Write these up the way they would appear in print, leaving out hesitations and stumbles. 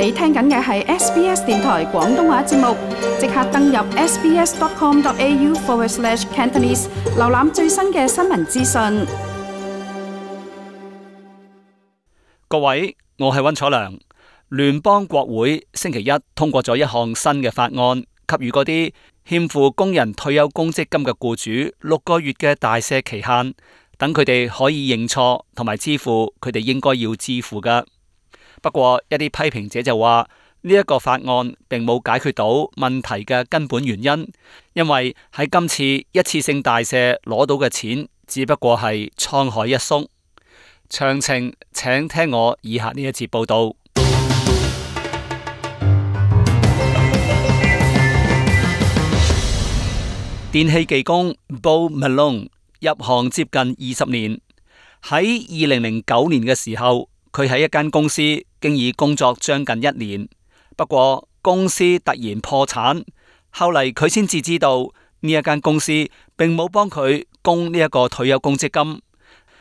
你聽緊嘅係 SBS 電台廣東話節目，即刻登入 sbs.com.au/Cantonese 瀏覽最新嘅新聞資訊。各位，我係溫楚良。聯邦國會星期一通過咗一項新嘅法案，給予嗰啲欠付工人退休公積金嘅僱主6個月嘅大赦期限，等佢哋可以認錯同埋支付佢哋應該要支付嘅。不過一啲批評者就話呢一個法案並冇解決到問題嘅根本原因，因為喺今次一次性大赦攞到嘅錢只不過係滄海一粟。詳情請聽我以下呢一節報道。電器技工 Bo Malone 入行接近20年，喺2009年嘅時候，佢喺一間公司經已工作將近1年，不過公司突然破產，後嚟佢先至知道呢一間公司並冇幫佢供呢一個退休公積金，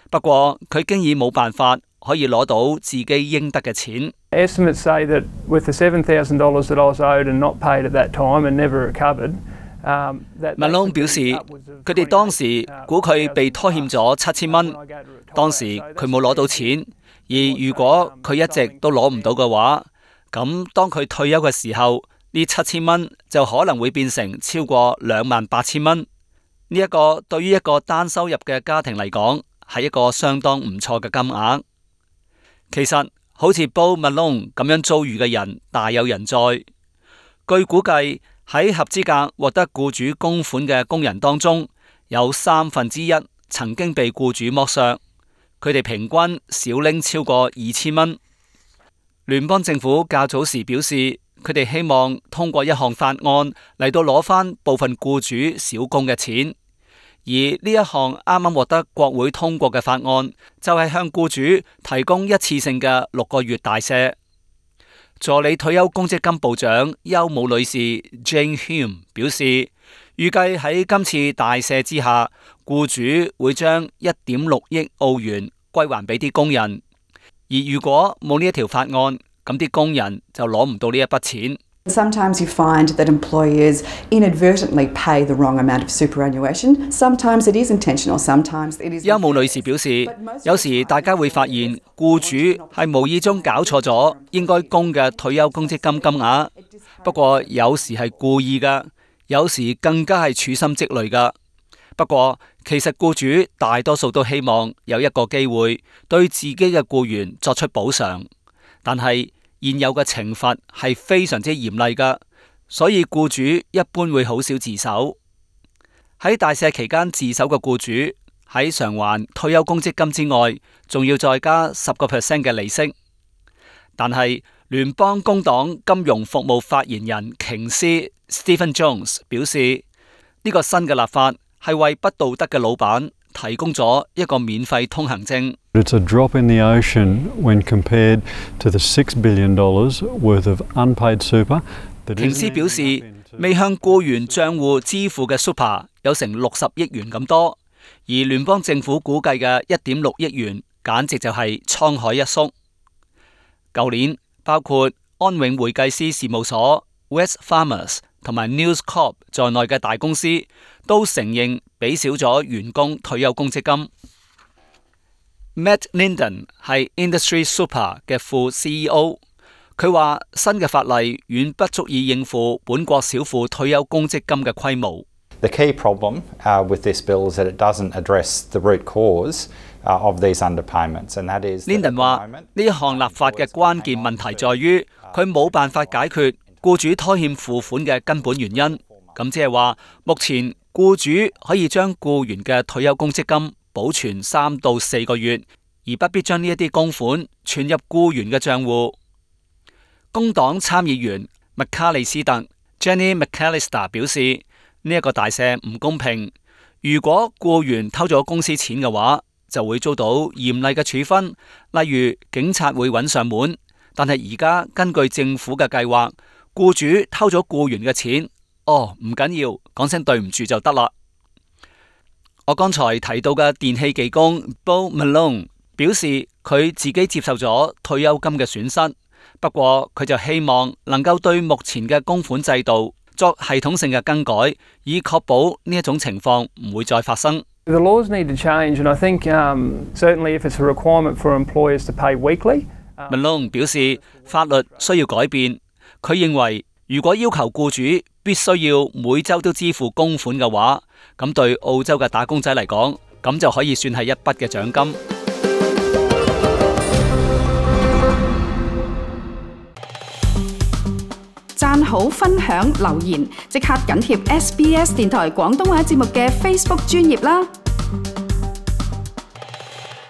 不過佢經已冇辦法可以攞到自己應得嘅錢。Estimates say that with the $7,000 that I was owed and not paid at that time and never recovered。Malone 表示，佢哋當時估佢被拖欠咗7000蚊，當時佢冇攞到錢。而如果佢一直都攞唔到嘅話，咁當佢退休嘅時候，呢7000蚊就可能會變成超過28,000蚊。呢一個對於一個單收入嘅家庭嚟講，係一個相當唔錯嘅金額。其實好似 Bo Malone 咁樣遭遇嘅人大有人在。據估計喺合資格獲得僱主供款嘅工人當中，有1/3曾經被僱主剝削。佢哋平均少拎超過2000蚊。聯邦政府較早時表示，佢哋希望通過一項法案嚟到攞返部分僱主少供嘅錢。而呢一項啱啱獲得國會通過嘅法案，就係向僱主提供一次性嘅6個月大赦。助理退休公積金部長邱姆女士 Jane Hume 表示，預計喺今次大赦之下，僱主會將1.6億澳元歸還俾啲工人，而如果冇呢一條法案，咁啲工人就攞唔到呢一筆錢。Sometimes you find that employers inadvertently pay the wrong amount of superannuation. Sometimes it is intentional. Sometimes it is. 邱姆女士表示，有時大家會發現僱主係無意中搞錯咗應該供嘅退休公積金金額，不過有時係故意㗎，有時更加係處心積慮㗎。不過其實僱主大多數都希望有一個機會對自己嘅僱員作出補償，但係現有嘅懲罰係非常之嚴厲㗎，所以僱主一般會好少自首。喺大赦期間自首嘅僱主喺償還退休公積金之外，仲要再加10% 嘅利息。但係聯邦工黨金融服務發言人瓊斯 Stephen Jones 表示，呢個新嘅立法係為不道德嘅老闆提供咗一個免費通行證。It's a drop in the ocean when compared to the $6 billion worth of unpaid super. 瓊斯表示，未向僱員賬戶支付嘅 super 有成60億元咁多，而聯邦政府估計嘅1.6億元，簡直就係滄海一粟。舊年包括安永會計師事務所、Wesfarmers 同埋 News Corp 在內嘅大公司都承認俾少咗員工退休公積金。Matt Linden 係 Industry Super 嘅副 CEO， 佢話新嘅法例遠不足以應付本國少婦退休公積金嘅規模。The key problem with this bill is that it doesn't address the root cause of these underpayments, and that is. Linden 話呢一項立法嘅關鍵問題在於佢冇辦法解決僱主拖欠付款嘅根本原因。咁即係話，目前僱主可以將僱員嘅退休公積金保存3到4個月，而不必將呢一啲供款存入僱員嘅賬戶。工黨參議員麥卡利斯特 Jenny McAllister 表示，呢一個大赦唔公平。如果僱員偷咗公司錢嘅話，就會遭到嚴厲嘅處分，例如警察會揾上門。但係而家根據政府嘅計劃，僱主偷咗僱員嘅錢，唔緊要，講聲對唔住就得啦。我剛才提到嘅電器技工 Bo Malone 表示，佢自己接受咗退休金嘅損失，不過佢就希望能夠對目前嘅供款制度作系統性嘅更改，以確保呢一種情況唔會再發生。The laws need to change, and I think certainly if it's a requirement for employers to pay weekly. Malone 表示法律需要改變。佢認為如果要求僱主必須要每週都支付供款嘅話，咁對澳洲嘅打工仔嚟講，咁就可以算係一筆嘅獎金。讚好、分享、留言，即刻緊貼SBS 電台廣東話節目嘅 Facebook 專頁啦！